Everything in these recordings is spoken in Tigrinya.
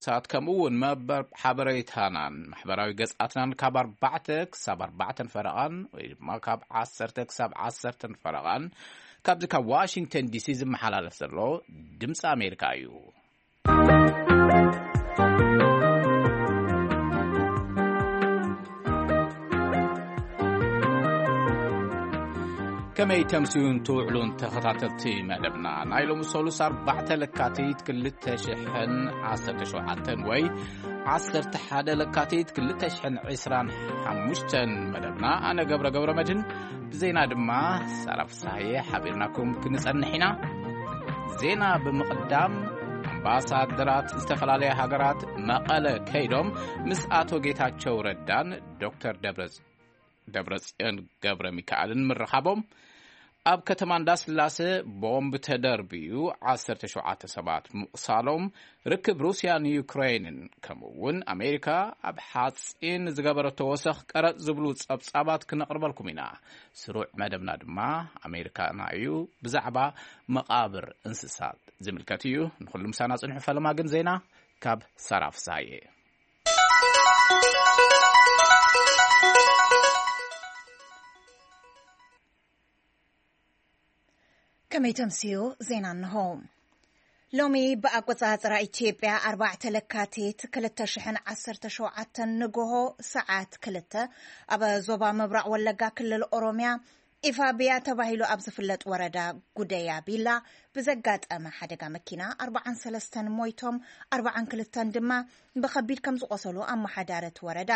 ሳት ከምኡ እውን መበር ሓበሬታናን ማሕበራዊ ገጻትናን ካብ ኣርባዕተ ክሳብ ኣርባዕተን ፈረቓን ወይ ድማ ካብ ዓሰርተ ክሳብ ዓሰርተን ፈረቓን ካብዚ ካብ ዋሽንግተን ዲሲ ዝመሓላለፍ ዘሎ ድምፂ ኣሜሪካ እዩ። ከመይ ተምስዩን ትውዕሉን ተኸታተልቲ መደብና፣ ናይ ሎሚ ሰሉስ ኣርባዕተ ለካቲት ክልተ ሽሕን ዓሰርተ ሸውዓተን ወይ ዓሰርተ ሓደ ለካቲት ክልተ ሽሕን ዕስራን ሓሙሽተን መደብና፣ ኣነ ገብረ ገብረ መድህን ብዜና ድማ ሳራ ፍሳሐየ ሓቢርናኩም ክንጸንሕ ኢና። ዜና ብምቕዳም፣ ኣምባሳደራት ዝተፈላለያ ሃገራት መቐለ ከይዶም ምስ ኣቶ ጌታቸው ረዳን ዶክተር ደብረ ደብረጽዮን ገብረ ሚካኤልን ምርኻቦም፣ ኣብ ከተማ እንዳስላሴ ቦምብ ተደርብዩ ዓሰርተ ሸውዓተ ሰባት ምቑሳሎም፣ ርክብ ሩስያን ዩክሬንን፣ ከምኡ እውን ኣሜሪካ ኣብ ሓጺን ዝገበረቶ ወሰኽ ቀረጽ ዝብሉ ጸብጻባት ክነቕርበልኩም ኢና። ስሩዕ መደብና ድማ ኣሜሪካና እዩ። ብዛዕባ መቓብር እንስሳት ዝምልከት እዩ። ንኹሉ ምሳና ጽንሑ። ፈለማ ግን ዜና ካብ ሳራ ፍሳሐየ። ከመይ ተምስዩ? ዜና እንሆ። ሎሚ ብኣቆጻጽራ ኢትዮጵያ ኣርባዕተ ለካቲት ክልተ ሽሕን ዓሰርተ ሸውዓተን ንግሆ ሰዓት ክልተ ኣብ ዞባ ምብራቕ ወለጋ ክልል ኦሮምያ ኢፋብያ ተባሂሉ ኣብ ዝፍለጥ ወረዳ ጉደያ ቢላ ብዘጋጠመ ሓደጋ መኪና ኣርባዓን ሰለስተን ሞይቶም፣ ኣርባዓን ክልተን ድማ ብኸቢድ ከም ዝቖሰሉ ኣመሓዳሪ እቲ ወረዳ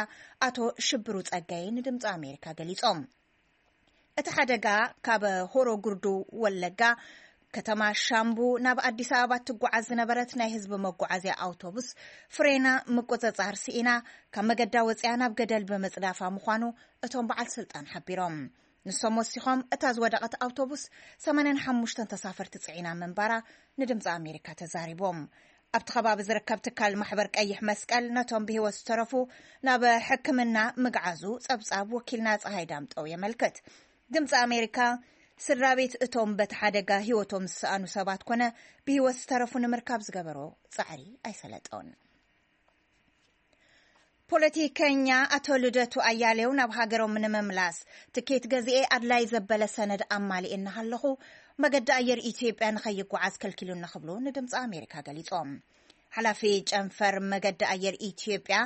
ኣቶ ሽብሩ ጸጋይ ንድምፂ ኣሜሪካ ገሊጾም። እቲ ሓደጋ ካብ ሆሮ ጉርዱ ወለጋ ከተማ ሻምቡ ናብ ኣዲስ ኣበባ ትጓዓዝ ዝነበረት ናይ ህዝቢ መጓዓዝያ ኣውቶቡስ ፍሬና ምቁጽጻር ስኢና ካብ መገዳ ወፂኣ ናብ ገደል ብምጽዳፋ ምዃኑ እቶም በዓል ስልጣን ሓቢሮም። ንሶም ወሲኾም፣ እታ ዝወደቐት ኣውቶቡስ ሰማንያን ሓሙሽተን ተሳፈርቲ ጽዒና ምንባራ ንድምፂ ኣሜሪካ ተዛሪቦም። ኣብቲ ከባቢ ዝርከብ ትካል ማሕበር ቀይሕ መስቀል ነቶም ብህይወት ዝተረፉ ናብ ሕክምና ምግዓዙ ጸብጻብ ወኪልና ጸሃይ ዳምጠው የመልክት። ድምፂ ኣሜሪካ ስድራ ቤት እቶም በቲ ሓደጋ ህይወቶም ዝሰኣኑ ሰባት ኮነ ብህይወት ዝተረፉ ንምርካብ ዝገበሮ ጻዕሪ ኣይሰለጠውን። ፖለቲከኛ ኣቶ ልደቱ ኣያሌው ናብ ሃገሮም ንምምላስ ትኬት ገዚኤ ኣድላይ ዘበለ ሰነድ ኣማሊኤ እናሃለኹ መገዲ ኣየር ኢትዮጵያ ንኸይጓዓዝ ከልኪሉኒ ክብሉ ንድምፂ ኣሜሪካ ገሊጾም። ሓላፊ ጨንፈር መገዲ ኣየር ኢትዮጵያ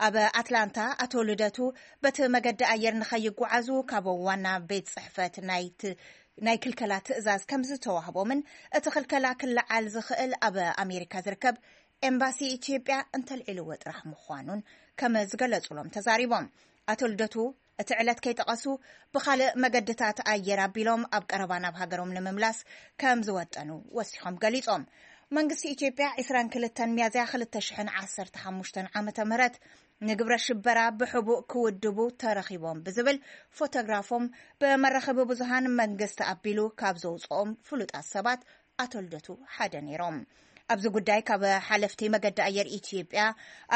ኣብ ኣትላንታ ኣቶ ልደቱ በቲ መገዲ ኣየር ንኸይጓዓዙ ካብ ዋና ቤት ጽሕፈት ናይቲ ናይ ክልከላ ትእዛዝ ከም ዝተዋህቦምን እቲ ክልከላ ክለዓል ዝኽእል ኣብ ኣሜሪካ ዝርከብ ኤምባሲ ኢትዮጵያ እንተልዒልዎ ጥራሕ ምዃኑን ከም ዝገለጹሎም ተዛሪቦም። ኣቶ ልደቱ እቲ ዕለት ከይጠቐሱ ብኻልእ መገድታት ኣየር ኣቢሎም ኣብ ቀረባ ናብ ሃገሮም ንምምላስ ከም ዝወጠኑ ወሲኾም ገሊጾም። መንግስቲ ኢትዮጵያ ዕስራን ክልተን ሚያዝያ ክልተ ሽሕን ዓሰርተ ሓሙሽተን ዓመተ ምህረት ንግብረ ሽበራ ብሕቡእ ክውድቡ ተረኺቦም ብዝብል ፎቶግራፎም ብመራኸቢ ብዙሃን መንግስቲ ኣቢሉ ካብ ዘውፅኦም ፍሉጣት ሰባት ኣቶ ልደቱ ሓደ ነይሮም። ኣብዚ ጉዳይ ካብ ሓለፍቲ መገዲ ኣየር ኢትዮጵያ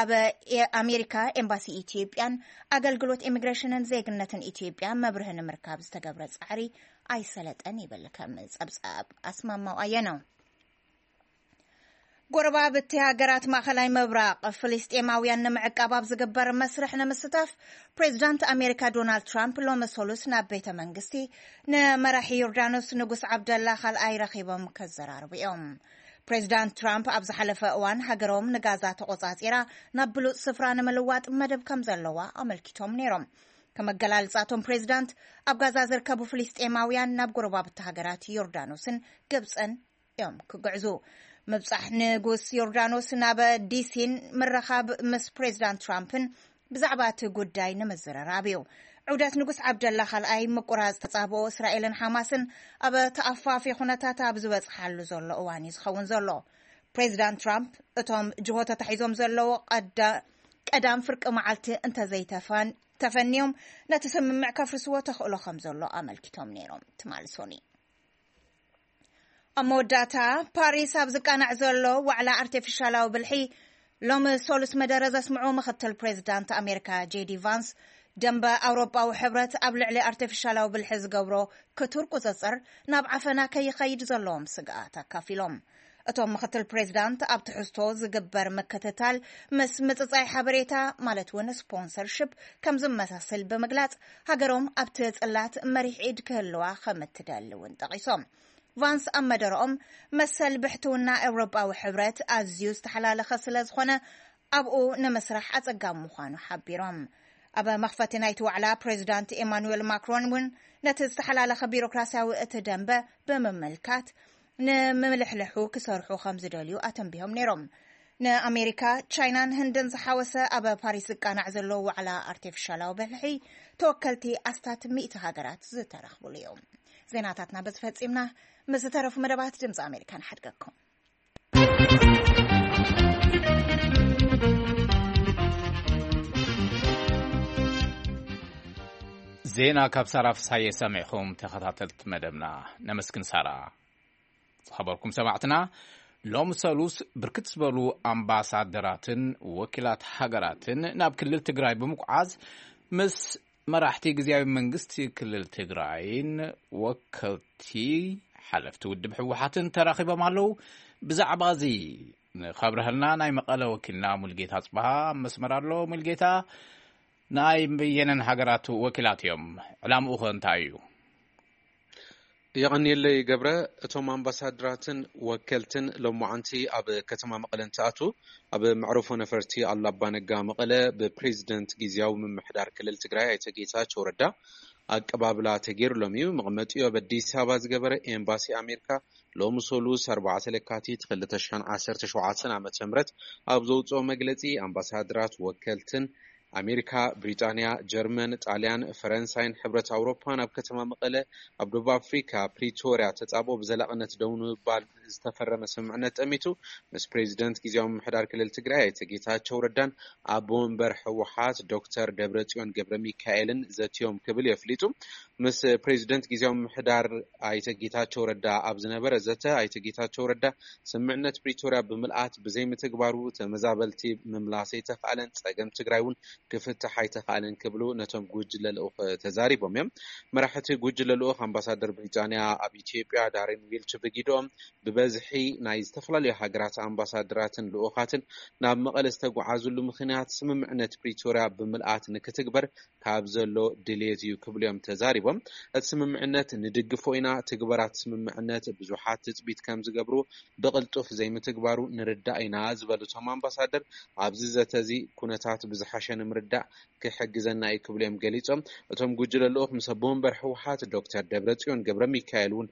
ኣብ ኣሜሪካ ኤምባሲ ኢትዮጵያን ኣገልግሎት ኢሚግሬሽንን ዜግነትን ኢትዮጵያ መብርሂ ንምርካብ ዝተገብረ ጻዕሪ ኣይሰለጠን ይብል ከም ጸብጻብ ኣስማማው ኣየነው። ጎረባብቲ ሃገራት ማእኸላይ ምብራቕ ፍልስጤማውያን ንምዕቃብ ኣብ ዝግበር መስርሕ ንምስታፍ ፕሬዚዳንት ኣሜሪካ ዶናልድ ትራምፕ ሎሚ ሰሉስ ናብ ቤተ መንግስቲ ንመራሒ ዮርዳኖስ ንጉስ ዓብደላ ካልኣይ ረኺቦም ከዘራርቡ እዮም። ፕሬዚዳንት ትራምፕ ኣብ ዝሓለፈ እዋን ሃገሮም ንጋዛ ተቆጻጺራ ናብ ብሉጽ ስፍራ ንምልዋጥ መደብ ከም ዘለዋ ኣመልኪቶም ነይሮም። ከም ኣገላልጻ እቶም ፕሬዚዳንት ኣብ ጋዛ ዝርከቡ ፍልስጤማውያን ናብ ጎረባብቲ ሃገራት ዮርዳኖስን ግብጽን እዮም ክግዕዙ። ምብጻሕ ንጉስ ዮርዳኖስ ናብ ዲሲን ምርኻብ ምስ ፕሬዚዳንት ትራምፕን ብዛዕባ እቲ ጉዳይ ንምዝርራብ እዩ። ዑደት ንጉስ ዓብደላ ካልኣይ ምቁራጽ ተጻብኦ እስራኤልን ሓማስን ኣብ ተኣፋፊ ኩነታት ኣብ ዝበጽሓሉ ዘሎ እዋን እዩ ዝኸውን ዘሎ። ፕሬዚዳንት ትራምፕ እቶም ጅሆ ተታሒዞም ዘለዉ ቀዳ- ቀዳም ፍርቂ መዓልቲ እንተዘይተፈን- ተፈንዮም ነቲ ስምምዕ ከፍርስዎ ተኽእሎ ከም ዘሎ ኣመልኪቶም ነይሮም። ትማሊ ሶኒ ኣብ መወዳእታ ፓሪስ ኣብ ዝቃናዕ ዘሎ ዋዕላ ኣርቲፊሻላዊ ብልሒ ሎሚ ሶሉስ መደረ ዘስምዑ ምኽትል ፕሬዚዳንት ኣሜሪካ ጄዲ ቫንስ፣ ደንበ ኣውሮጳዊ ሕብረት ኣብ ልዕሊ ኣርቲፊሻላዊ ብልሒ ዝገብሮ ክቱር ቁጽጽር ናብ ዓፈና ከይኸይድ ዘለዎም ስግኣት ኣካፊሎም። እቶም ምክትል ፕሬዚዳንት ኣብ ትሕዝቶ ዝግበር ምክትታል ምስ ምጽጻይ ሓበሬታ ማለት እውን ስፖንሰርሽፕ ከም ዝመሳሰል ብምግላጽ፣ ሃገሮም ኣብቲ ጽላት መሪሕ ኢድ ክህልዋ ከም እትደሊ እውን ጠቒሶም። ቫንስ ኣብ መደረኦም፣ መሰል ብሕትውና ኤውሮጳዊ ሕብረት ኣዝዩ ዝተሓላለኸ ስለ ዝኾነ ኣብኡ ንምስራሕ ኣጸጋሚ ምዃኑ ሓቢሮም። ኣብ መኽፈቲ ናይቲ ዋዕላ ፕሬዚዳንት ኤማኑኤል ማክሮን እውን ነቲ ዝተሓላለኸ ቢሮክራሲያዊ እቲ ደንበ ብምምልካት ንምልሕልሑ ክሰርሑ ከም ዝደልዩ ኣተንቢሆም ነይሮም። ንኣሜሪካ፣ ቻይናን ህንድን ዝሓወሰ ኣብ ፓሪስ ዝቃናዕ ዘሎ ዋዕላ ኣርቲፊሻላዊ ብልሒ ተወከልቲ ኣስታት ሚእቲ ሃገራት ዝተረኽብሉ እዩ። ዜናታትና በዚ ፈጺምና። ምስ ዝተረፉ መደባት ድምፂ ኣሜሪካ ንሓድገኩም። ዜና ካብ ሳራ ፍሳየ ሰሚዕኹም ተኸታተልቲ መደብና። ነመስግን ሳራ። ዝኸበርኩም ሰማዕትና፣ ሎም ሰሉስ ብርክት ዝበሉ ኣምባሳደራትን ወኪላት ሃገራትን ናብ ክልል ትግራይ ብምጉዓዝ ምስ መራሕቲ ግዝያዊ መንግስቲ ክልል ትግራይን ወከልቲ ሓለፍቲ ውድብ ህወሓትን ተራኺቦም ኣለዉ። ብዛዕባ እዚ ንኸብረህልና ናይ መቐለ ወኪልና ሙልጌታ ጽባሃ ኣብ መስመር ኣሎ። ሙልጌታ፣ ናይ በየነን ሃገራት ወኪላት እዮም? ዕላምኡ ኸ እንታይ እዩ? የቐንየለይ ገብረ። እቶም ኣምባሳደራትን ወከልትን ሎማዓንቲ ኣብ ከተማ መቐለ እንትኣቱ፣ ኣብ መዕረፎ ነፈርቲ ኣሉላ ኣባነጋ መቐለ ብፕሬዚደንት ግዝያዊ ምምሕዳር ክልል ትግራይ ኣይተ ጌታቸው ረዳ ኣቀባብላ ተገይሩሎም እዩ። መቐመጢኡ ኣብ ኣዲስ ኣበባ ዝገበረ ኤምባሲ ኣሜሪካ ሎሚ ሰሉስ ኣርባዕተ ለካቲት ክልተ ሽሕን ዓሰርተ ሸውዓተን ዓመተ ምህረት ኣብ ዘውፅኦ መግለፂ፣ ኣምባሳደራት፣ ወከልትን ኣሜሪካ፣ ብሪጣንያ፣ ጀርመን፣ ጣልያን፣ ፈረንሳይን ሕብረት ኣውሮፓን ኣብ ከተማ መቐለ ኣብ ደቡብ ኣፍሪካ ፕሪቶርያ ተፃብኦ ብዘላቕነት ደው ንምባል ዝተፈረመ ስምምዕነት ጠሚቱ ምስ ፕሬዚደንት ግዝያዊ ምምሕዳር ክልል ትግራይ ኣይተ ጌታቸው ረዳን ኣቦ ወንበር ህወሓት ዶክተር ደብረጽዮን ገብረ ሚካኤልን ዘትዮም ክብል የፍሊጡ። ምስ ፕሬዚደንት ግዝያዊ ምምሕዳር ኣይተ ጌታቸው ረዳ ኣብ ዝነበረ ዘተ፣ ኣይተ ጌታቸው ረዳ ስምምዕነት ፕሪቶርያ ብምልኣት ብዘይምትግባሩ ተመዛበልቲ ምምላስ ኣይተኽኣለን፣ ጸገም ትግራይ እውን ክፍታሕ ኣይተኽኣለን ክብሉ ነቶም ጉጅለ ልኡኽ ተዛሪቦም እዮም። መራሕቲ ጉጅለ ልኡኽ ኣምባሳደር ብሪጣንያ ኣብ ኢትዮጵያ ዳሪን ዊልች ብጊድኦም ብበዝሒ ናይ ዝተፈላለዩ ሃገራት ኣምባሳደራትን ልኡኻትን ናብ መቐለ ዝተጓዓዙሉ ምኽንያት ስምምዕነት ፕሪቶርያ ብምልኣት ንክትግበር ካብ ዘሎ ድልየት እዩ ክብሉ እዮም ተዛሪቦም። እቲ ስምምዕነት ንድግፎ ኢና፣ ትግበራት ስምምዕነት ብዙሓት ትፅቢት ከም ዝገብሩ ብቕልጡፍ ዘይምትግባሩ ንርዳእ ኢና ዝበሉ እቶም ኣምባሳደር፣ ኣብዚ ዘተ እዚ ኩነታት ብዝሓሸ ንምርዳእ ክሕግዘና እዩ ክብሉ እዮም ገሊጾም። እቶም ጉጅለ ልኡኽ ምስ ኣቦ ወንበር ህወሓት ዶክተር ደብረጽዮን ገብረ ሚካኤል እውን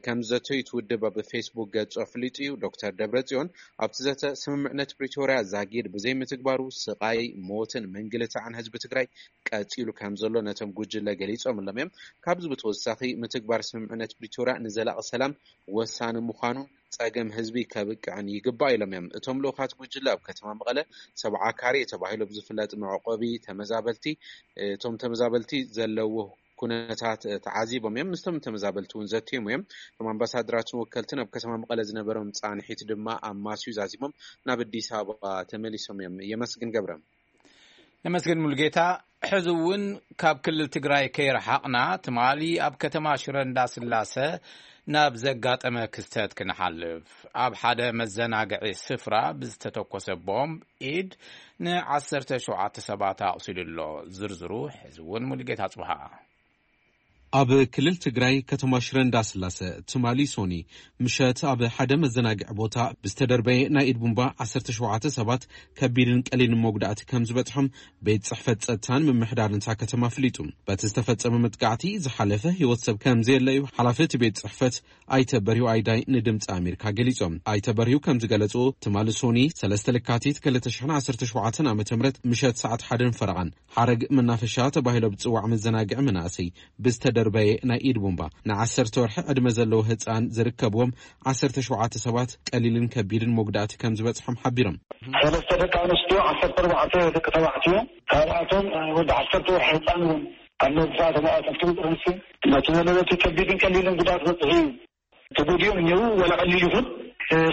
ከም ዝዘተዩ እቲ ውድብ ኣብ ፌስቡክ ገጹ ኣፍሊጡ እዩ። ዶክተር ደብረጽዮን ኣብቲ ዘተ ስምምዕነት ፕሪቶርያ ዛጊድ ብዘይምትግባሩ ስቓይ፣ ሞትን ምንግልታዕን ህዝቢ ትግራይ ቀጺሉ ከም ዘሎ ነቶም ጉጅለ ገሊጾምሎም እዮም። ካብዚ ብተወሳኺ ምትግባር ስምምዕነት ፕሪቶርያ ንዘላቒ ሰላም ወሳኒ ምዃኑን ጸገም ህዝቢ ከብቅዕን ይግባእ ኢሎም እዮም። እቶም ልኡኻት ጉጅለ ኣብ ከተማ መቐለ ሰብዓ ካሬ ተባሂሉ ብዝፍለጥ መዕቆቢ ተመዛበልቲ፣ እቶም ተመዛበልቲ ዘለዎ ኩነታት ተዓዚቦም እዮም። ምስቶም ተመዛበልቲ እውን ዘትዮም እዮም። እቶም ኣምባሳደራትን ወከልትን ኣብ ከተማ መቐለ ዝነበሮም ጻንሒት ድማ ኣማስዩ ዛዚሞም ናብ ኣዲስ ኣበባ ተመሊሶም እዮም። የመስግን ገብረ። ነመስግን ሙሉጌታ። ሕዚ እውን ካብ ክልል ትግራይ ከይረሓቕና፣ ትማሊ ኣብ ከተማ ሽረ እንዳስላሰ ናብ ዘጋጠመ ክስተት ክንሓልፍ። ኣብ ሓደ መዘናግዒ ስፍራ ብዝተተኮሰ ቦምብ ኢድ ንዓሰርተ ሸውዓተ ሰባት ኣቑሲሉ ኣሎ። ዝርዝሩ ሕዚ እውን ሙሉጌታ ጽብሃ። ኣብ ክልል ትግራይ ከተማ ሽረ እንዳስላሰ ትማሊ ሶኒ ምሸት ኣብ ሓደ መዘናግዒ ቦታ ብዝተደርበየ ናይ ኢድ ቡምባ ዓሰርተ ሸውዓተ ሰባት ከቢድን ቀሊልን መጉዳእቲ ከም ዝበጽሖም ቤት ጽሕፈት ጸጥታን ምምሕዳርን እታ ከተማ ኣፍሊጡ። በቲ ዝተፈጸመ መጥቃዕቲ ዝሓለፈ ህይወት ሰብ ከም ዘየለ እዩ ሓላፊ እቲ ቤት ጽሕፈት ኣይተ በርሂው ኣይዳይ ንድምፂ ኣሜሪካ ገሊጾም። ኣይተ በርሂው ከም ዝገለጹ፣ ትማሊ ሶኒ ሰለስተ ለካቲት ክልተ ሽሕን ዓሰርተ ሸውዓተን ዓመተ ምህረት ምሸት ሰዓት ሓደን ፈረቓን ሓረግ መናፈሻ ተባሂሎ ብዝጽዋዕ መዘናግዒ መናእሰይ ብዝተደርበየ ናይ ኢድ ቡምባ ንዓሰርተ ወርሒ ዕድመ ዘለዎ ህጻን ዝርከብዎም ዓሰርተ ሸውዓተ ሰባት ቀሊልን ከቢድን መጉዳእቲ ከም ዝበጽሖም ሓቢሮም። ሰለስተ ደቂ ኣንስትዮ፣ ዓሰርተ ኣርባዕተ ደቂ ተባዕትዮ፣ ካብኣቶም ወዲ ዓሰርተ ወርሒ ህጻን እውን ኣብ ነብሳ ተባእተፍቲ ጥርንሲ ነቲ ዘለበቲ ከቢድን ቀሊልን ጉዳት በጽሑ እዩ። ተጎዲኦም እኒው ወላ ቀሊል ይኹን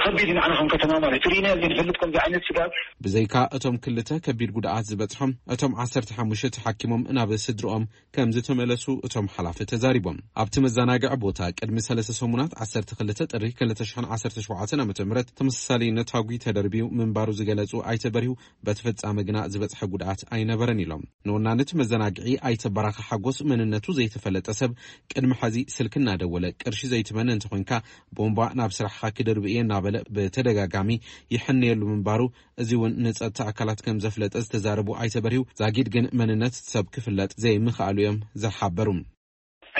ከቢድ እዩ ንዓና ከም ከተማ ማለት እዩ። ርኢናዮ ዘይንፈልጥ ከምዚ ዓይነት ስጋት። ብዘይካ እቶም ክልተ ከቢድ ጉድኣት ዝበፅሖም፣ እቶም ዓሰርተ ሓሙሽተ ተሓኪሞም ናብ ስድርኦም ከም ዝተመለሱ እቶም ሓላፊ ተዛሪቦም። ኣብቲ መዘናግዒ ቦታ ቅድሚ ሰለስተ ሰሙናት ዓሰርተ ክልተ ጥሪ ክልተ ሽሕን ዓሰርተ ሸውዓተን ዓመተ ምህረት ተመሳሳሊ ነታጒ ተደርብዩ ምንባሩ ዝገለጹ ኣይተ በሪሁ፣ በቲ ፍጻመ ግና ዝበጽሐ ጉድኣት ኣይነበረን ኢሎም። ንወናኒ እቲ መዘናግዒ ኣይተ በራኸ ሓጎስ መንነቱ ዘይተፈለጠ ሰብ ቅድሚ ሐዚ ስልኪ እናደወለ ቅርሺ ዘይትመነ እንተኾይንካ ቦምባ ናብ ስራሕኻ ክደርብ እየ እናበለ ብተደጋጋሚ ይሕነየሉ ምንባሩ፣ እዚ እውን ንጸጥታ ኣካላት ከም ዘፍለጠ ዝተዛረቡ ኣይተ በሪሁ፣ ዛጊድ ግን መንነት ሰብ ክፍለጥ ዘይምኽኣሉ እዮም ዝሓበሩ።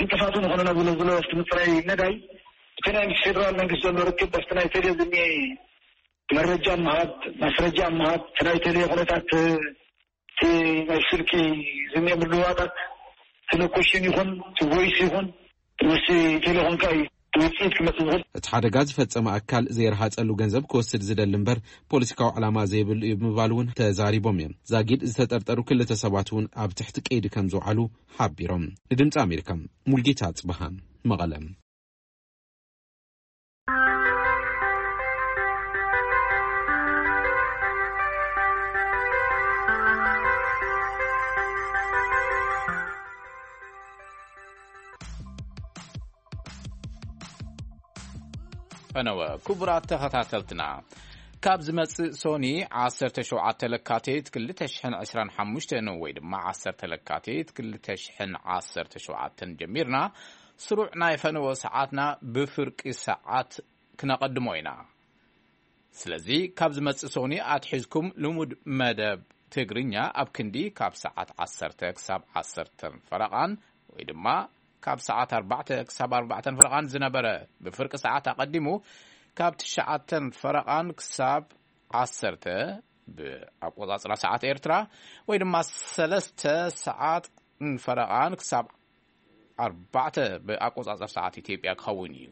ዕንቅፋት ዝኾነ ነብሎ ዝሎ ኣብቲ ምፅራይ ነዳይ እቲ ናይ ምስ ፌደራል መንግስቲ ዘሎ ርክብ ኣብቲ ናይ ቴሌ ዝኒ መረጃ ምሃብ፣ ማስረጃ ምሃብ፣ እቲ ናይ ቴሌ ኩነታት፣ እቲ ናይ ስልኪ ዝኒ ምልዋጣት፣ እቲ ሎኬሽን ይኹን እቲ ቮይስ ይኹን፣ እቲ ምስ ቴሌኮምካ እዩ ውፅኢት ክመፅእ ዝኽእል። እቲ ሓደጋ ዝፈጸመ ኣካል ዘይረሃጸሉ ገንዘብ ክወስድ ዝደሊ እምበር ፖለቲካዊ ዕላማ ዘይብሉ እዩ ብምባል እውን ተዛሪቦም እዮም። ዛጊድ ዝተጠርጠሩ ክልተ ሰባት እውን ኣብ ትሕቲ ቀይዲ ከም ዝውዓሉ ሓቢሮም። ንድምፂ ኣሜሪካ፣ ሙልጌታ ኣጽብሃ፣ መቐለ። ፈነወ፣ ክቡራት ተኸታተልትና፣ ካብ ዝመጽእ ሶኒ ዓሰርተ ሸውዓተ ለካቲት ክልተ ሽሕን ዕስራን ሓሙሽተን ወይ ድማ ዓሰርተ ለካቲት ክልተ ሽሕን ዓሰርተ ሸውዓተን ጀሚርና፣ ስሩዕ ናይ ፈነወ ሰዓትና ብፍርቂ ሰዓት ክነቐድሞ ኢና። ስለዚ፣ ካብ ዝመጽእ ሶኒ ኣትሒዝኩም ልሙድ መደብ ትግርኛ ኣብ ክንዲ ካብ ሰዓት ዓሰርተ ክሳብ ዓሰርተን ፈረቓን ወይ ድማ ካብ ሰዓት ኣርባዕተ ክሳብ ኣርባዕተን ፈረቓን ዝነበረ፣ ብፍርቂ ሰዓት ኣቐዲሙ ካብ ትሽዓተን ፈረቓን ክሳብ ዓሰርተ ብኣቆጻጽራ ሰዓት ኤርትራ ወይ ድማ ሰለስተ ሰዓት ፈረቓን ክሳብ ኣርባዕተ ብኣቆጻጽራ ሰዓት ኢትዮጵያ ክኸውን እዩ።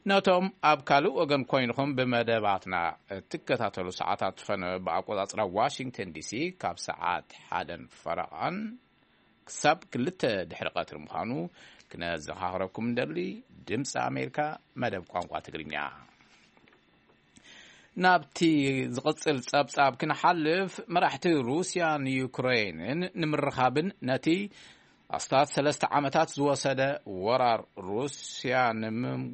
ነቶም ኣብ ካልእ ወገን ኮይንኹም ብመደባትና እትከታተሉ፣ ሰዓታት ፈነወ ብኣቆጻጽራ ዋሽንግተን ዲሲ ካብ ሰዓት ሓደን ፈረቓን ክሳብ ክልተ ድሕሪ ቀትሪ ምዃኑ ክነዘኻኽረኩም እንደሊ። ድምፂ ኣሜሪካ፣ መደብ ቋንቋ ትግርኛ። ናብቲ ዝቕጽል ጸብጻብ ክንሓልፍ፣ መራሕቲ ሩስያን ዩክሬንን ንምርኻብን ነቲ ኣስታት ሰለስተ ዓመታት ዝወሰደ ወራር ሩስያ ንምም-፣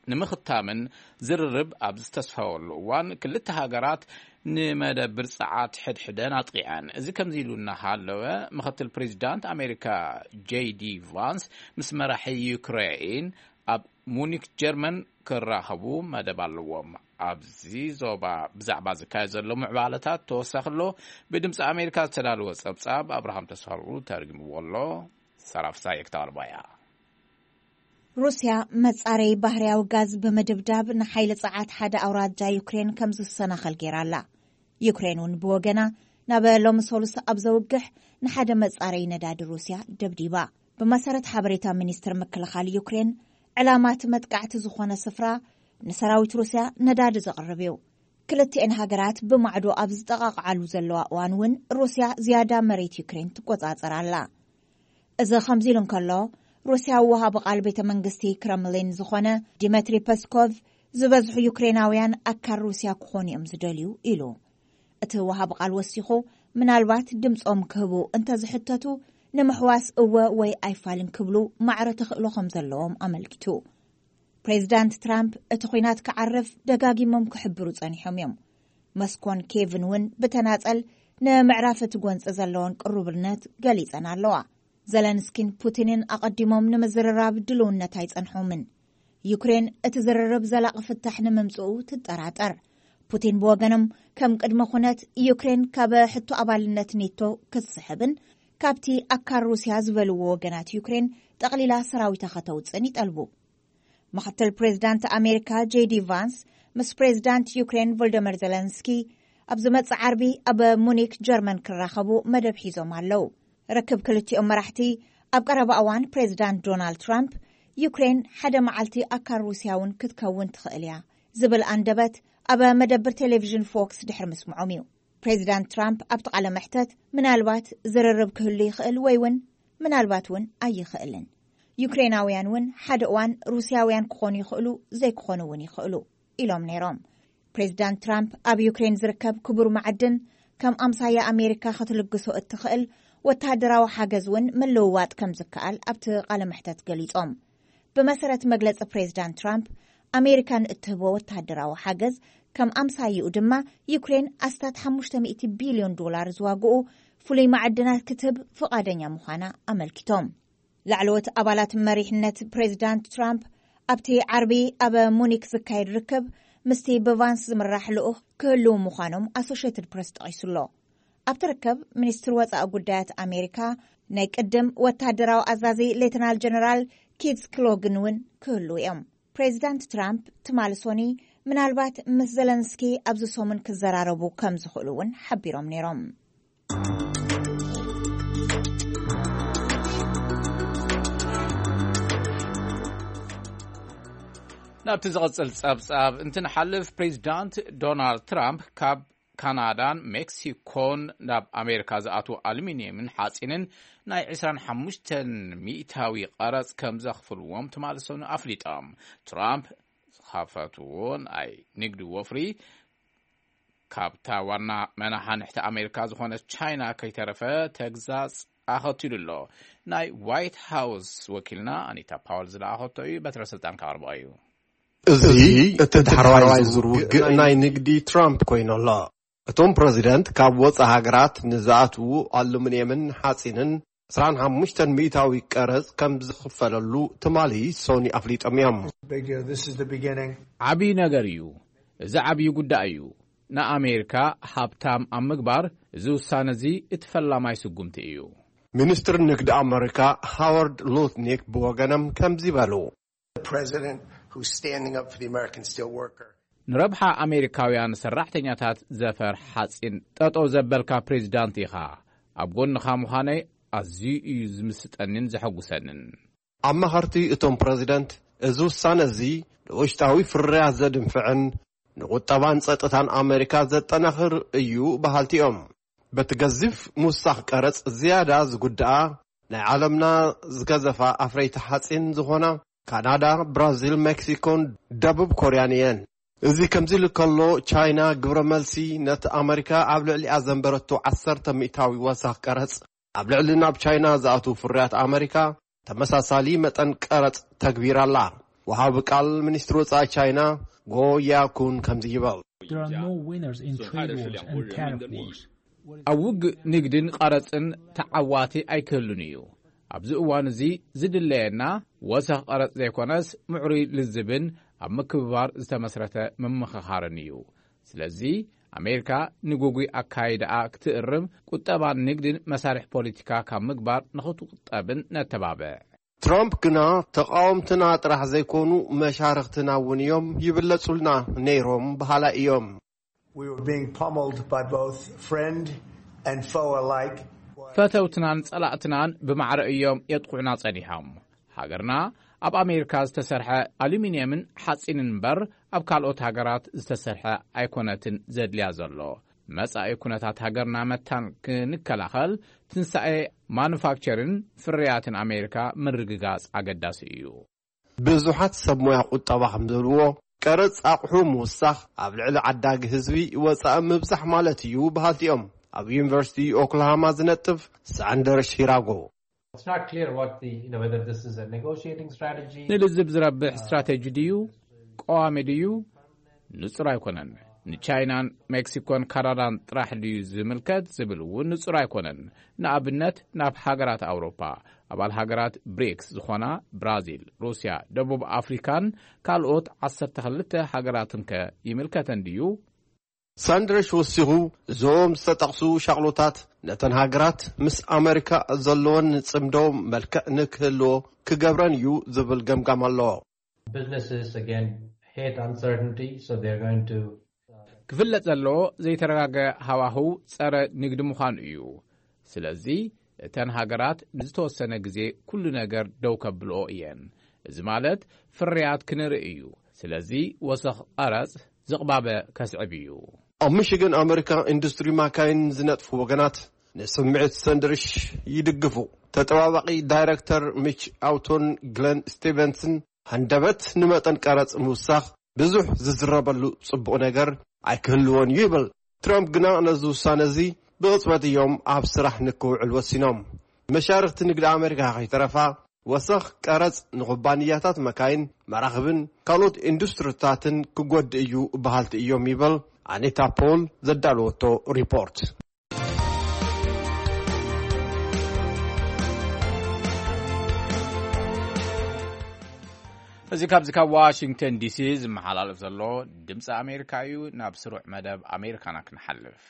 ንምኽታምን ዝርርብ ኣብ ዝተስፋወሉ እዋን፣ ክልተ ሃገራት ንመደብር ጸዓት ሕድሕደን ኣጥቒዐን። እዚ ከምዚ ኢሉ እናሃለወ፣ ምኽትል ፕሬዚዳንት ኣሜሪካ ጄይ ዲ ቫንስ ምስ መራሒ ዩክሬን ኣብ ሙኒክ ጀርመን ክራኸቡ መደብ ኣለዎም። ኣብዚ ዞባ ብዛዕባ ዝካየድ ዘሎ ምዕባለታት ተወሳኺ ኣሎ። ብድምፂ ኣሜሪካ ዝተዳለወ ጸብጻብ ኣብርሃም ተስፋሉ ተርጉምዎ ኣሎ። ሰራፍሳይ ክተቕርባ እያ። ሩስያ መጻረዪ ባህርያዊ ጋዝ ብምድብዳብ ንሓይሊ ጸዓት ሓደ ኣውራጃ ዩክሬን ከም ዝሰናኸል ገይራ ኣላ። ዩክሬን እውን ብወገና፣ ናብ ሎሚ ሰሉስ ኣብ ዘውግሕ ንሓደ መጻረዪ ነዳዲ ሩስያ ደብዲባ። ብመሰረት ሓበሬታ ሚኒስትር ምክልኻል ዩክሬን፣ ዕላማ እቲ መጥቃዕቲ ዝኾነ ስፍራ ንሰራዊት ሩስያ ነዳዲ ዘቕርብ እዩ። ክልቲኤን ሃገራት ብማዕዶ ኣብ ዝጠቓቕዓሉ ዘለዋ እዋን እውን ሩስያ ዝያዳ መሬት ዩክሬን ትቆጻጸር ኣላ። እዚ ከምዚ ኢሉ እንከሎ፣ ሩስያዊ ወሃቢ ቃል ቤተ መንግስቲ ክረምሊን ዝኾነ ዲመትሪ ፐስኮቭ፣ ዝበዝሑ ዩክሬናውያን ኣካል ሩስያ ክኾኑ እዮም ዝደልዩ ኢሉ። እቲ ወሃቢ ቃል ወሲኹ፣ ምናልባት ድምጾም ክህቡ እንተዝሕተቱ፣ ንምሕዋስ እወ ወይ ኣይፋልን ክብሉ ማዕረ ተኽእሎ ከም ዘለዎም ኣመልኪቱ። ፕሬዚዳንት ትራምፕ እቲ ኲናት ክዓርፍ ደጋጊሞም ክሕብሩ ጸኒሖም እዮም። መስኮን ኬቭን እውን ብተናጸል ንምዕራፍ እቲ ጎንጺ ዘለወን ቅሩብነት ገሊጸን ኣለዋ። ዘለንስኪን ፑቲንን ኣቐዲሞም ንምዝርራብ ድልውነት ኣይጸንሖምን። ዩክሬን እቲ ዝርርብ ዘላቒ ፍታሕ ንምምጽኡ ትጠራጠር። ፑቲን ብወገኖም፣ ከም ቅድመ ኩነት ዩክሬን ካብ ሕቶ ኣባልነት ኔቶ ክትስሕብን ካብቲ ኣካል ሩስያ ዝበልዎ ወገናት ዩክሬን ጠቕሊላ ሰራዊታ ከተውጽእን ይጠልቡ። ምኽትል ፕሬዚዳንት ኣሜሪካ ጄዲ ቫንስ ምስ ፕሬዚዳንት ዩክሬን ቮልደመር ዘለንስኪ ኣብ ዝመጽእ ዓርቢ ኣብ ሙኒክ ጀርመን ክራኸቡ መደብ ሒዞም ኣለዉ። ርክብ ክልቲኦም መራሕቲ ኣብ ቀረባ እዋን ፕሬዚዳንት ዶናልድ ትራምፕ፣ ዩክሬን ሓደ መዓልቲ ኣካል ሩስያ እውን ክትከውን ትኽእል እያ ዝብል ኣንደበት ኣብ መደብር ቴሌቪዥን ፎክስ ድሕሪ ምስምዖም እዩ። ፕሬዚዳንት ትራምፕ ኣብቲ ቃለ መሕተት፣ ምናልባት ዝርርብ ክህሉ ይኽእል ወይ እውን ምናልባት እውን ኣይኽእልን፣ ዩክሬናውያን እውን ሓደ እዋን ሩስያውያን ክኾኑ ይኽእሉ፣ ዘይክኾኑ እውን ይኽእሉ ኢሎም ነይሮም። ፕሬዚዳንት ትራምፕ ኣብ ዩክሬን ዝርከብ ክቡር መዓድን ከም ኣምሳያ ኣሜሪካ ክትልግሶ እትኽእል ወተሃደራዊ ሓገዝ እውን ምልውዋጥ ከም ዝከኣል ኣብቲ ቃለ መሕተት ገሊጾም። ብመሰረት መግለጺ ፕሬዚዳንት ትራምፕ፣ ኣሜሪካ ንእትህቦ ወተሃደራዊ ሓገዝ ከም ኣምሳይኡ ድማ ዩክሬን ኣስታት ሓሙሽተ ሚእቲ ቢልዮን ዶላር ዝዋግኡ ፍሉይ መዓድናት ክትህብ ፍቓደኛ ምዃና ኣመልኪቶም። ላዕለዎት ኣባላት መሪሕነት ፕሬዚዳንት ትራምፕ ኣብቲ ዓርቢ ኣብ ሙኒክ ዝካየድ ርክብ ምስቲ ብቫንስ ዝምራሕ ልኡኽ ክህልዉ ምዃኖም ኣሶሽየትድ ፕረስ ጠቒሱሎ። ኣብቲ ርክብ ሚኒስትር ወጻኢ ጉዳያት ኣሜሪካ ናይ ቅድም ወታደራዊ ኣዛዚ ሌተናል ጀነራል ኪት ስክሎግን እውን ክህልዉ እዮም። ፕሬዚዳንት ትራምፕ ትማሊ ሶኒ ምናልባት ምስ ዘለንስኪ ኣብዚ ሰሙን ክዘራረቡ ከም ዝኽእሉ እውን ሓቢሮም ነይሮም። ናብቲ ዝቕጽል ጸብጻብ እንትንሓልፍ፣ ፕሬዚዳንት ዶናልድ ትራምፕ ካብ ካናዳን ሜክሲኮን ናብ ኣሜሪካ ዝኣትዉ ኣሉሚንየምን ሓጺንን ናይ ዕስራን ሓሙሽተን ሚእታዊ ቀረጽ ከም ዘኽፍልዎም ትማሊ ሰኑይ ኣፍሊጦም። ትራምፕ ዝኸፈትዎ ናይ ንግዲ ወፍሪ ካብታ ዋና መናሓንሕቲ ኣሜሪካ ዝኾነት ቻይና ከይተረፈ ተግዛጽ ኣኸቲሉ ኣሎ። ናይ ዋይት ሃውስ ወኪልና ኣኒታ ፓወል ዝለኣኸቶ እዩ። በትረ ስልጣን ከቕርቦ እዩ። እዚ እቲ ዳሕረዋይ ዙር ውግእ ናይ ንግዲ ትራምፕ ኮይኑ ኣሎ። እቶም ፕረዚደንት ካብ ወጻኢ ሃገራት ንዝኣትዉ ኣሉሚንየምን ሓጺንን ዕስራን ሓሙሽተን ሚእታዊ ቀረጽ ከም ዝኽፈለሉ ትማሊ ሶኒ ኣፍሊጦም እዮም። ዓብዪ ነገር እዩ። እዚ ዓብዪ ጉዳይ እዩ። ንኣሜሪካ ሃብታም ኣብ ምግባር እዚ ውሳነ እዚ እቲ ፈላማይ ስጉምቲ እዩ። ሚኒስትር ንግዲ ኣመሪካ ሃዋርድ ሉትኒክ ብወገኖም ከምዚ በሉ። ንረብሓ ኣሜሪካውያን ሰራሕተኛታት ዘፈር ሓጺን ጠጠው ዘበልካ ፕሬዚዳንት ኢኻ። ኣብ ጎንኻ ምዃነይ ኣዝዩ እዩ ዝምስጠንን ዘሐጉሰንን። ኣማኸርቲ እቶም ፕረዚደንት፣ እዚ ውሳነ እዚ ንውሽጣዊ ፍርያት ዘድንፍዕን ንቁጠባን ጸጥታን ኣመሪካ ዘጠናኽር እዩ በሃልቲ እዮም። በቲ ገዚፍ ምውሳኽ ቀረጽ ዝያዳ ዝጉድኣ ናይ ዓለምና ዝገዘፋ ኣፍረይቲ ሓጺን ዝኾና ካናዳ፣ ብራዚል፣ ሜክሲኮን ደቡብ ኮርያን እየን። እዚ ከምዚ ኢሉ ከሎ፣ ቻይና ግብረ መልሲ ነቲ ኣመሪካ ኣብ ልዕሊኣ ዘንበረቶ ዓሰርተ ሚእታዊ ወሳኽ ቀረጽ ኣብ ልዕሊ ናብ ቻይና ዝኣትዉ ፍርያት ኣመሪካ ተመሳሳሊ መጠን ቀረጽ ተግቢራ ኣላ። ወሃቢ ቃል ሚኒስትሪ ወጻኢ ቻይና ጎ ያኩን ከምዚ ይበል። There are no winners in trade wars and tariff wars. ኣብ ውግእ ንግድን ቐረጽን ተዓዋቲ ኣይክህሉን እዩ። ኣብዚ እዋን እዚ ዝድለየና ወሰኽ ቐረጽ ዘይኮነስ ምዕሩይ ልዝብን ኣብ ምክብባር ዝተመስረተ ምምኽኻርን እዩ። ስለዚ ኣሜሪካ ንጉጉይ ኣካይዳኣ ክትእርም ቁጠባን ንግድን መሳርሒ ፖለቲካ ካብ ምግባር ንኽትቁጠብን ነተባብዕ። ትራምፕ ግና ተቓወምትና ጥራሕ ዘይኮኑ መሻርኽትና እውን እዮም ይብለጹልና ነይሮም በሃላይ እዮም። We were being pummeled by both friend and foe alike. ፈተውትናን ጸላእትናን ብማዕረ እዮም የጥቕዑና ጸኒሖም። ሃገርና ኣብ ኣሜሪካ ዝተሰርሐ ኣሉሚንየምን ሓጺንን እምበር ኣብ ካልኦት ሃገራት ዝተሰርሐ ኣይኮነትን ዘድልያ ዘሎ። መጻኢ ኩነታት ሃገርና መታን ክንከላኸል ትንሳኤ ማኑፋክቸርን ፍርያትን ኣሜሪካ ምርግጋጽ ኣገዳሲ እዩ። ብዙሓት ሰብ ሞያ ቁጠባ ከም ዝብልዎ፣ ቀረጽ ኣቑሑ ምውሳኽ ኣብ ልዕሊ ዓዳጊ ህዝቢ ወጻኢ ምብዛሕ ማለት እዩ በሃልቲ እዮም። ኣብ ዩኒቨርሲቲ ኦክላሃማ ዝነጥፍ ሳንደር ሺራጎ። It's not clear what the, you know, whether this is a negotiating strategy. ንልዝብ ዝረብሕ ስትራቴጂ ድዩ ቀዋሚ ድዩ ንጹር ኣይኮነን። ንቻይናን ሜክሲኮን ካናዳን ጥራሕ ድዩ ዝምልከት ዝብል እውን ንጹር ኣይኮነን። ንኣብነት ናብ ሃገራት ኣውሮፓ ኣባል ሃገራት ብሪክስ ዝኾና ብራዚል፣ ሩስያ፣ ደቡብ ኣፍሪካን ካልኦት ዓሰርተ ክልተ ሃገራትን ከ ይምልከተን ድዩ? ሳንድረሽ ወሲኹ፣ እዞም ዝተጠቕሱ ሻቕሎታት ነተን ሃገራት ምስ ኣመሪካ ዘለወን ጽምዶ መልክዕ ንክህልዎ ክገብረን እዩ ዝብል ገምጋም ኣሎ። Businesses, again, hate uncertainty, so they're going to ክፍለጥ ዘለዎ ዘይተረጋገ ሃዋህው ጸረ ንግዲ ምዃኑ እዩ። ስለዚ እተን ሃገራት ንዝተወሰነ ግዜ ኩሉ ነገር ደው ከብልኦ እየን። እዚ ማለት ፍርያት ክንርኢ እዩ። ስለዚ ወሰኽ ቐረጽ ዝቕባበ ከስዕብ እዩ። ኣብ ሚሽገን ኣመሪካ ኢንዱስትሪ ማካይን ዝነጥፉ ወገናት ንስምዒት ሰንድርሽ ይድግፉ። ተጠባባቒ ዳይረክተር ሚች ኣውቶን ግለን ስቲቨንስን ሃንደበት ንመጠን ቀረጽ ምውሳኽ ብዙሕ ዝዝረበሉ ጽቡቕ ነገር ኣይክህልዎን እዩ ይብል። ትራምፕ ግና ነዚ ውሳነ እዚ ብቕጽበት እዮም ኣብ ስራሕ ንክውዕል ወሲኖም። መሻርኽቲ ንግዲ ኣሜሪካ ከይተረፋ፣ ወሰኽ ቀረጽ ንኩባንያታት መካይን፣ መራኽብን ካልኦት ኢንዱስትሪታትን ክጎድእ እዩ በሃልቲ እዮም ይብል ኣኒታ ፖል ዘዳለወቶ ሪፖርት። እዚ ካብዚ ካብ ዋሽንግተን ዲሲ ዝመሓላለፍ ዘሎ ድምፂ ኣሜሪካ እዩ። ናብ ስሩዕ መደብ ኣሜሪካና ክንሓልፍ።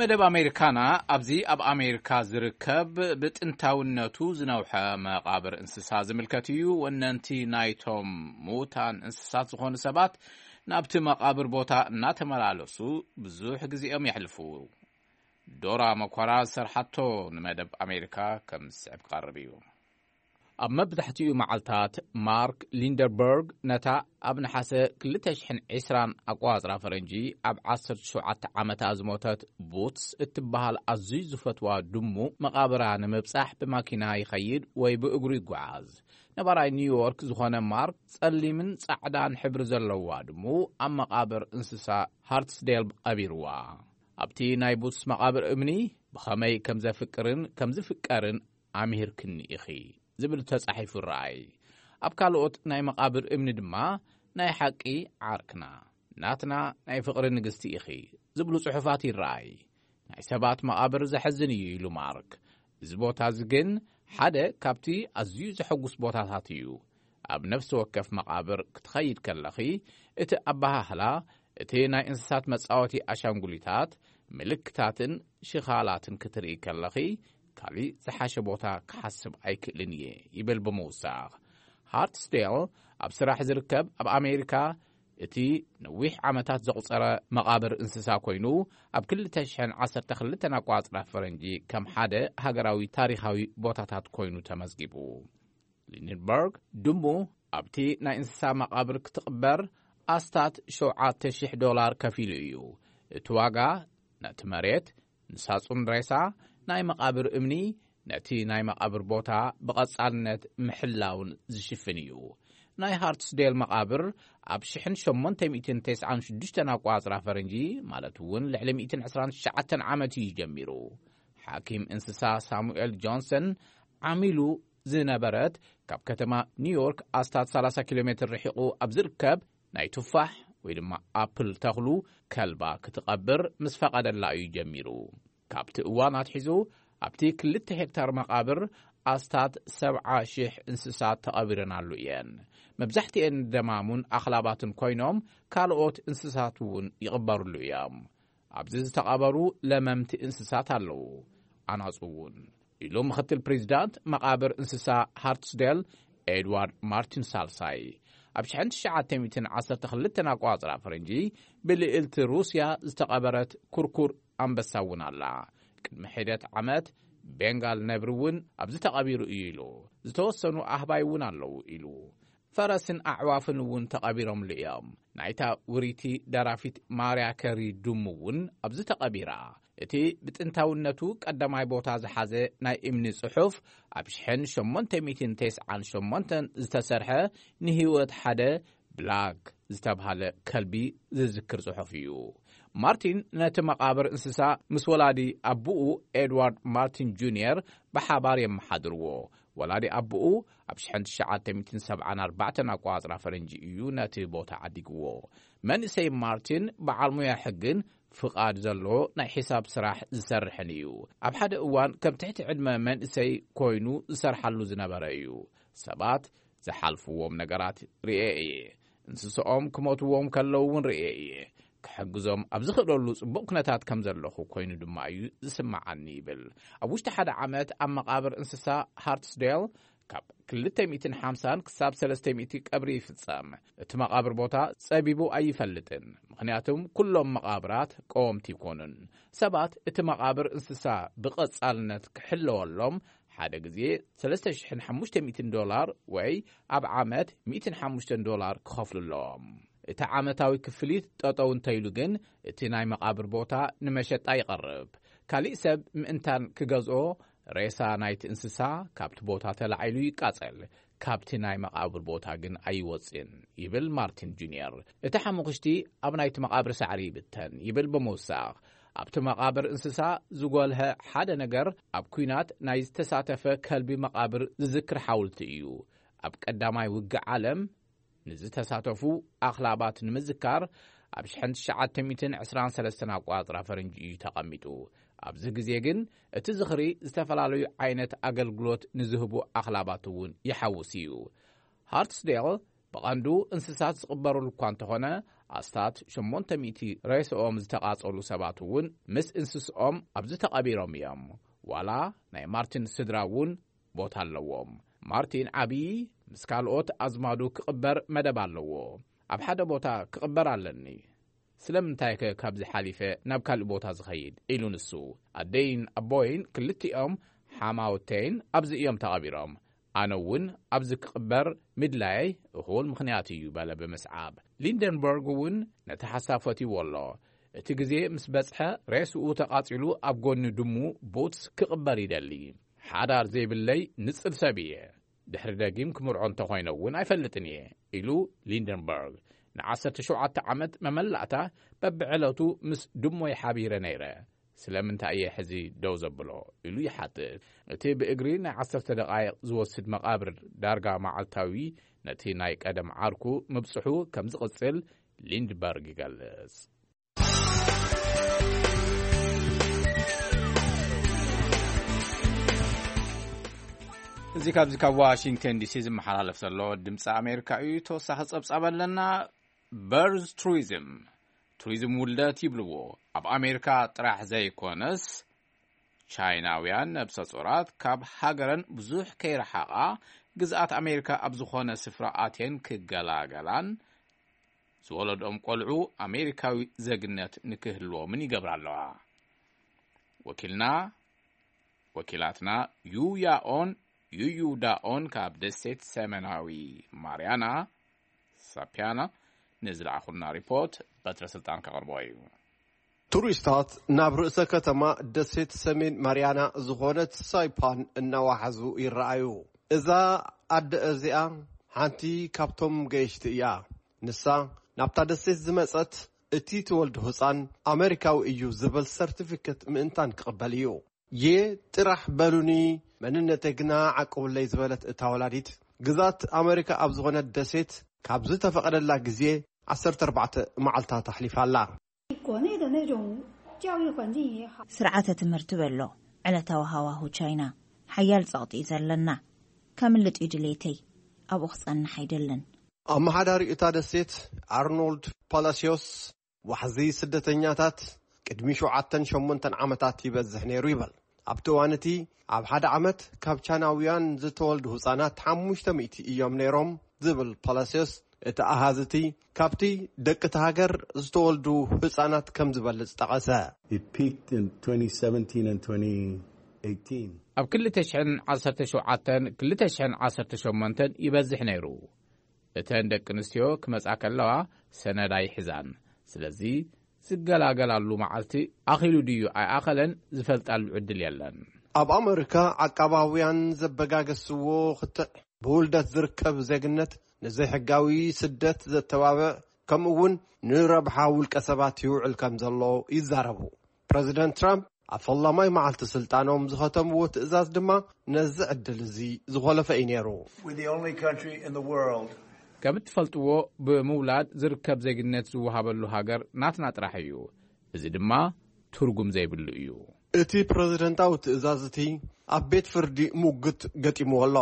መደብ ኣሜሪካና ኣብዚ ኣብ ኣሜሪካ ዝርከብ ብጥንታውነቱ ዝነውሐ መቓብር እንስሳ ዝምልከት እዩ። ወነንቲ ናይቶም ምዉታን እንስሳት ዝኾኑ ሰባት ናብቲ መቓብር ቦታ እናተመላለሱ ብዙሕ ግዜኦም የሕልፉ። ዶራ መኮራ ዝሰርሓቶ ንመደብ ኣሜሪካ ከም ዝስዕብ ክቐርብ እዩ። ኣብ መብዛሕትኡ መዓልታት ማርክ ሊንደርበርግ ነታ ኣብ ነሓሰ ክልተ ሽሕን ዕስራን ኣቋጽራ ፈረንጂ ኣብ ዓሰርተ ሸውዓተ ዓመታ ዝሞተት ቡትስ እትበሃል ኣዝዩ ዝፈትዋ ድሙ መቓብራ ንምብጻሕ ብማኪና ይኸይድ ወይ ብእግሩ ይጓዓዝ። ነባራይ ኒውዮርክ ዝኾነ ማርክ ጸሊምን ጻዕዳን ሕብሪ ዘለዋ ድሙ ኣብ መቓብር እንስሳ ሃርትስዴል ቀቢርዋ። ኣብቲ ናይ ቡትስ መቓብር እምኒ ብኸመይ ከም ዘፍቅርን ከም ዝፍቀርን ኣምሂርክኒ ኢኺ ዝብል ተጻሒፉ ይረኣይ። ኣብ ካልኦት ናይ መቓብር እምኒ ድማ ናይ ሓቂ ዓርክና፣ ናትና ናይ ፍቕሪ ንግስቲ ኢኺ ዝብሉ ጽሑፋት ይረኣይ። ናይ ሰባት መቓብር ዘሕዝን እዩ ኢሉ ማርክ። እዚ ቦታ እዚ ግን ሓደ ካብቲ ኣዝዩ ዘሐጉስ ቦታታት እዩ። ኣብ ነፍሲ ወከፍ መቓብር ክትኸይድ ከለኺ እቲ ኣበሃህላ፣ እቲ ናይ እንስሳት መጻወቲ ኣሻንጉሊታት፣ ምልክታትን ሽኻላትን ክትርኢ ከለኺ ካልእ ዝሓሸ ቦታ ክሓስብ ኣይክእልን እየ ይብል ብምውሳኽ። ሃርትስዴል ኣብ ስራሕ ዝርከብ ኣብ ኣሜሪካ እቲ ነዊሕ ዓመታት ዘቑጸረ መቓብር እንስሳ ኮይኑ ኣብ ክልተ ሽሕን ዓሰርተ ክልተን ኣቋጽራ ፈረንጂ ከም ሓደ ሃገራዊ ታሪኻዊ ቦታታት ኮይኑ ተመዝጊቡ። ሊንደንበርግ ድሙ ኣብቲ ናይ እንስሳ መቓብር ክትቕበር ኣስታት ሸውዓተ ሽሕ ዶላር ከፊሉ እዩ። እቲ ዋጋ ነቲ መሬት ንሳጹን ሬሳ ናይ መቓብር እምኒ ነቲ ናይ መቓብር ቦታ ብቐጻልነት ምሕላውን ዝሽፍን እዩ። ናይ ሃርትስዴል መቓብር ኣብ ሽሕን ሸሞንተ ሚእትን ተስዓን ሽዱሽተን ኣቋጽራ ፈረንጂ፣ ማለት እውን ልዕሊ ሚእትን ዕስራን ትሽዓተን ዓመት እዩ ጀሚሩ። ሓኪም እንስሳ ሳሙኤል ጆንሰን ዓሚሉ ዝነበረት ካብ ከተማ ኒውዮርክ ኣስታት ሰላሳ ኪሎ ሜትር ርሒቑ ኣብ ዝርከብ ናይ ቱፋሕ ወይ ድማ ኣፕል ተኽሉ ከልባ ክትቐብር ምስ ፈቐደላ እዩ ጀሚሩ። ካብቲ እዋን ኣትሒዙ ኣብቲ ክልተ ሄክታር መቓብር ኣስታት ሰብዓ ሽሕ እንስሳት ተቐቢረናሉ እየን። መብዛሕትኤን ደማሙን ኣኽላባትን ኮይኖም ካልኦት እንስሳት እውን ይቕበርሉ እዮም። ኣብዚ ዝተቐበሩ ለመምቲ እንስሳት ኣለዉ፣ ኣናጹ እውን፣ ኢሉ ምኽትል ፕሬዚዳንት መቓብር እንስሳ ሃርትስዴል ኤድዋርድ ማርቲን ሳልሳይ። ኣብ ሽሕን ትሽዓተ ሚእትን ዓሰርተ ክልተን ኣቋጽራ ፈረንጂ ብልዕልቲ ሩስያ ዝተቐበረት ኩርኩር ኣንበሳ እውን ኣላ። ቅድሚ ሒደት ዓመት ቤንጋል ነብሪ እውን ኣብዚ ተቐቢሩ እዩ ኢሉ። ዝተወሰኑ ኣህባይ እውን ኣለዉ ኢሉ። ፈረስን ኣዕዋፍን እውን ተቐቢሮምሉ እዮም። ናይታ ውሪቲ ደራፊት ማርያ ከሪ ድሙ እውን ኣብዚ ተቐቢራ። እቲ ብጥንታውነቱ ቀዳማይ ቦታ ዝሓዘ ናይ እምኒ ጽሑፍ ኣብ ሽሕን ሸሞንተ ሚእትን ተስዓን ሸሞንተን ዝተሰርሐ ንህይወት ሓደ ብላክ ዝተብሃለ ከልቢ ዝዝክር ጽሑፍ እዩ። ማርቲን ነቲ መቓብር እንስሳ ምስ ወላዲ ኣቦኡ ኤድዋርድ ማርቲን ጁንየር ብሓባር የመሓድርዎ። ወላዲ ኣቦኡ ኣብ ሽሕን ትሽዓተ ሚእትን ሰብዓን ኣርባዕተን ኣቋጽራ ፈረንጂ እዩ ነቲ ቦታ ዓዲግዎ። መንእሰይ ማርቲን በዓል ሙያ ሕግን ፍቓድ ዘለዎ ናይ ሒሳብ ስራሕ ዝሰርሕን እዩ። ኣብ ሓደ እዋን ከም ትሕቲ ዕድመ መንእሰይ ኮይኑ ዝሰርሓሉ ዝነበረ እዩ። ሰባት ዝሓልፍዎም ነገራት ርእየ እየ። እንስስኦም ክሞትዎም ከለዉ እውን ርእየ እየ። ክሕግዞም ኣብ ዝኽእለሉ ጽቡቕ ኩነታት ከም ዘለኹ ኮይኑ ድማ እዩ ዝስምዓኒ ይብል። ኣብ ውሽጢ ሓደ ዓመት ኣብ መቓብር እንስሳ ሃርትስዴል ካብ ክልተ ሚእትን ሓምሳን ክሳብ ሰለስተ ሚእቲ ቀብሪ ይፍጸም። እቲ መቓብር ቦታ ጸቢቡ ኣይፈልጥን፣ ምኽንያቱም ኩሎም መቓብራት ቀወምቲ ይኮኑን። ሰባት እቲ መቓብር እንስሳ ብቐጻልነት ክሕለወሎም ሓደ ግዜ ሰለስተ ሽሕን ሓሙሽተ ሚእትን ዶላር ወይ ኣብ ዓመት ሚእትን ሓሙሽተን ዶላር ክኸፍሉ ኣለዎም። እቲ ዓመታዊ ክፍሊት ጠጠው እንተኢሉ ግን፣ እቲ ናይ መቓብር ቦታ ንመሸጣ ይቐርብ። ካሊእ ሰብ ምእንታን ክገዝኦ፣ ሬሳ ናይቲ እንስሳ ካብቲ ቦታ ተላዒሉ ይቃጸል፣ ካብቲ ናይ መቓብር ቦታ ግን ኣይወጽእን፣ ይብል ማርቲን ጁንየር። እቲ ሓሙኽሽቲ ኣብ ናይቲ መቓብር ሳዕሪ ይብተን፣ ይብል ብምውሳኽ። ኣብቲ መቓብር እንስሳ ዝጎልሀ ሓደ ነገር፣ ኣብ ኲናት ናይ ዝተሳተፈ ከልቢ መቓብር ዝዝክር ሓውልቲ እዩ። ኣብ ቀዳማይ ውግእ ዓለም ንዝተሳተፉ ኣኽላባት ንምዝካር፣ ኣብ ሽሕን ትሽዓተ ሚእትን ዕስራን ሰለስተን ኣቆጻጽራ ፈረንጂ እዩ ተቐሚጡ። ኣብዚ ግዜ ግን፣ እቲ ዝኽሪ ዝተፈላለዩ ዓይነት ኣገልግሎት ንዝህቡ ኣኽላባት እውን ይሓውስ እዩ። ሃርትስዴል ብቐንዱ እንስሳት ዝቕበሩሉ እኳ እንተኾነ፣ ኣስታት ሸሞንተ ሚእቲ ሬስኦም ዝተቓጸሉ ሰባት እውን ምስ እንስስኦም ኣብዚ ተቐቢሮም እዮም። ዋላ ናይ ማርቲን ስድራ እውን ቦታ ኣለዎም። ማርቲን ዓብዪ ምስ ካልኦት ኣዝማዱ ክቕበር መደብ ኣለዎ። ኣብ ሓደ ቦታ ክቕበር ኣለኒ። ስለምንታይ ከ ካብዚ ሓሊፈ ናብ ካልእ ቦታ ዝኸይድ? ኢሉ ንሱ። ኣደይን ኣቦይን ክልቲኦም ሓማውተይን ኣብዚ እዮም ተቐቢሮም። ኣነ እውን ኣብዚ ክቕበር ምድላየይ እኹል ምኽንያት እዩ፣ በለ ብምስዓብ። ሊንደንበርግ እውን ነቲ ሓሳብ ፈትይዎ ኣሎ። እቲ ግዜ ምስ በጽሐ፣ ሬስኡ ተቓጺሉ ኣብ ጎኒ ድሙ ቡትስ ክቕበር ይደሊ። ሓዳር ዘይብለይ ንጽል ሰብ እየ። ድሕሪ ደጊም ክምርዖ እንተኾይነ እውን ኣይፈልጥን እየ፣ ኢሉ ሊንደንበርግ። ንዓሰርተ ሸውዓተ ዓመት መመላእታ በብዕለቱ ምስ ድሞይ ሓቢረ ነይረ። ስለምንታይ እየ ሕዚ ደው ዘብሎ? ኢሉ ይሓትት። እቲ ብእግሪ ናይ ዓሰርተ ደቓይቕ ዝወስድ መቓብር ዳርጋ መዓልታዊ ነቲ ናይ ቀደም ዓርኩ ምብጽሑ ከም ዝቕጽል ሊንድበርግ ይገልጽ። እዚ ካብዚ ካብ ዋሽንግተን ዲሲ ዝመሓላለፍ ዘሎ ድምፂ ኣሜሪካ እዩ። ተወሳኺ ጸብጻብ ኣለና። በርዝ ቱሪዝም፣ ቱሪዝም ውልደት ይብልዎ። ኣብ ኣሜሪካ ጥራሕ ዘይኮነስ፣ ቻይናውያን ነብሰ ጾራት ካብ ሃገረን ብዙሕ ከይረሓቓ፣ ግዝኣት ኣሜሪካ ኣብ ዝኾነ ስፍራ ኣትየን ክገላገላን ዝወለድኦም ቆልዑ ኣሜሪካዊ ዜግነት ንክህልዎምን ይገብራ ኣለዋ። ወኪልና፣ ወኪላትና ዩያኦን ዩዩዳኦን ካብ ደሴት ሰሜናዊ ማርያና፣ ሳፒያና፣ ንዝለኣኹልና ሪፖርት በትረ ስልጣን ከቕርቦ እዩ። ቱሪስታት ናብ ርእሰ ከተማ ደሴት ሰሜን ማርያና ዝኾነት ሳይፓን እናዋሓዙ ይረኣዩ። እዛ ኣደ እዚኣ ሓንቲ ካብቶም ገየሽቲ እያ። ንሳ ናብታ ደሴት ዝመጸት፣ እቲ ትወልዶ ህጻን ኣመሪካዊ እዩ ዝብል ሰርቲፊኬት ምእንታን ክቕበል እዩ። የ ጥራሕ በሉኒ፣ መንነተይ ግና ዓቅቡለይ ዝበለት እታ ወላዲት፣ ግዛት ኣመሪካ ኣብ ዝኾነት ደሴት ካብ ዝተፈቐደላ ግዜ ዓሰርተ ኣርባዕተ መዓልታት ኣሕሊፋ ኣላ። 国内的那种教育环境也好。 ስርዓተ ትምህርቲ በሎ፣ ዕለታዊ ሃዋሁ ቻይና፣ ሓያል ጸቕጢ እዩ ዘለና። ከምልጥ እዩ ድሌተይ። ኣብኡ ክጸንሕ ኣይደልን። ኣመሓዳሪ እታ ደሴት ኣርኖልድ ፓላሲዮስ፣ ዋሕዚ ስደተኛታት ቅድሚ ሸውዓተን ሸሞንተን ዓመታት ይበዝሕ ነይሩ ይበል። ኣብቲ እዋን እቲ፣ ኣብ ሓደ ዓመት ካብ ቻይናውያን ዝተወልዱ ህጻናት ሓሙሽተ ሚእቲ እዮም ነይሮም ዝብል ፓላሲዮስ፣ እቲ ኣሃዝ እቲ ካብቲ ደቂ እቲ ሃገር ዝተወልዱ ህጻናት ከም ዝበልጽ ጠቐሰ። It peaked in twenty seventeen and twenty eighteen. ኣብ ክልተ ሽሕን ዓሰርተ ሸውዓተን፣ ክልተ ሽሕን ዓሰርተ ሸሞንተን ይበዝሕ ነይሩ። እተን ደቂ ኣንስትዮ ክመጻ ከለዋ ሰነድ ኣይሕዛን። ስለዚ ዝገላገላሉ መዓልቲ ኣኺሉ ድዩ ኣይኣኸለን ዝፈልጣሉ ዕድል የለን። ኣብ ኣመሪካ ዓቃባውያን ዘበጋገስዎ ክትዕ ብውልደት ዝርከብ ዜግነት ንዘይሕጋዊ ስደት ዘተባብዕ፣ ከምኡ እውን ንረብሓ ውልቀ ሰባት ይውዕል ከም ዘሎ ይዛረቡ። ፕረዚደንት ትራምፕ ኣብ ፈላማይ መዓልቲ ስልጣኖም ዝኸተምዎ ትእዛዝ ድማ ነዚ ዕድል እዚ ዝኾለፈ እዩ ነይሩ። We're the only country in the world. ከም እትፈልጥዎ፣ ብምውላድ ዝርከብ ዜግነት ዝወሃበሉ ሃገር ናትና ጥራሕ እዩ። እዚ ድማ ትርጉም ዘይብሉ እዩ። እቲ ፕረዚደንታዊ ትእዛዝ እቲ ኣብ ቤት ፍርዲ ሙግት ገጢምዎ ኣሎ።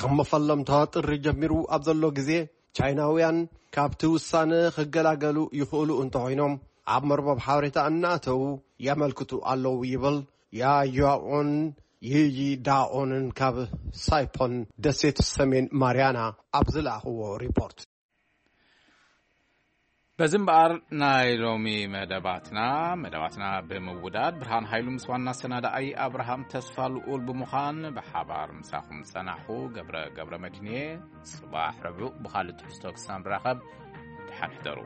ካብ መፈለምታ ጥሪ ጀሚሩ ኣብ ዘሎ ግዜ፣ ቻይናውያን ካብቲ ውሳነ ክገላገሉ ይኽእሉ እንተኾይኖም፣ ኣብ መርበብ ሓበሬታ እናእተዉ የመልክቱ ኣለዉ ይብል ያያኦን ይይዳኦንን ካብ ሳይፖን ደሴት ሰሜን ማርያና ኣብ ዝለኣኽዎ ሪፖርት። በዚ እምበኣር ናይ ሎሚ መደባትና፣ መደባትና ብምውዳድ፣ ብርሃን ሃይሉ ምስ ዋና ኣሰናዳኣይ ኣብርሃም ተስፋ ልኡል ብምዃን ብሓባር ምሳኹም ጸናሕኹ። ገብረ፣ ገብረ መድህንየ። ጽባሕ ረቡዕ ብኻልእ ትሕዝቶ ክሳብ ንራኸብ፣ ብድሓን ሕደሩ።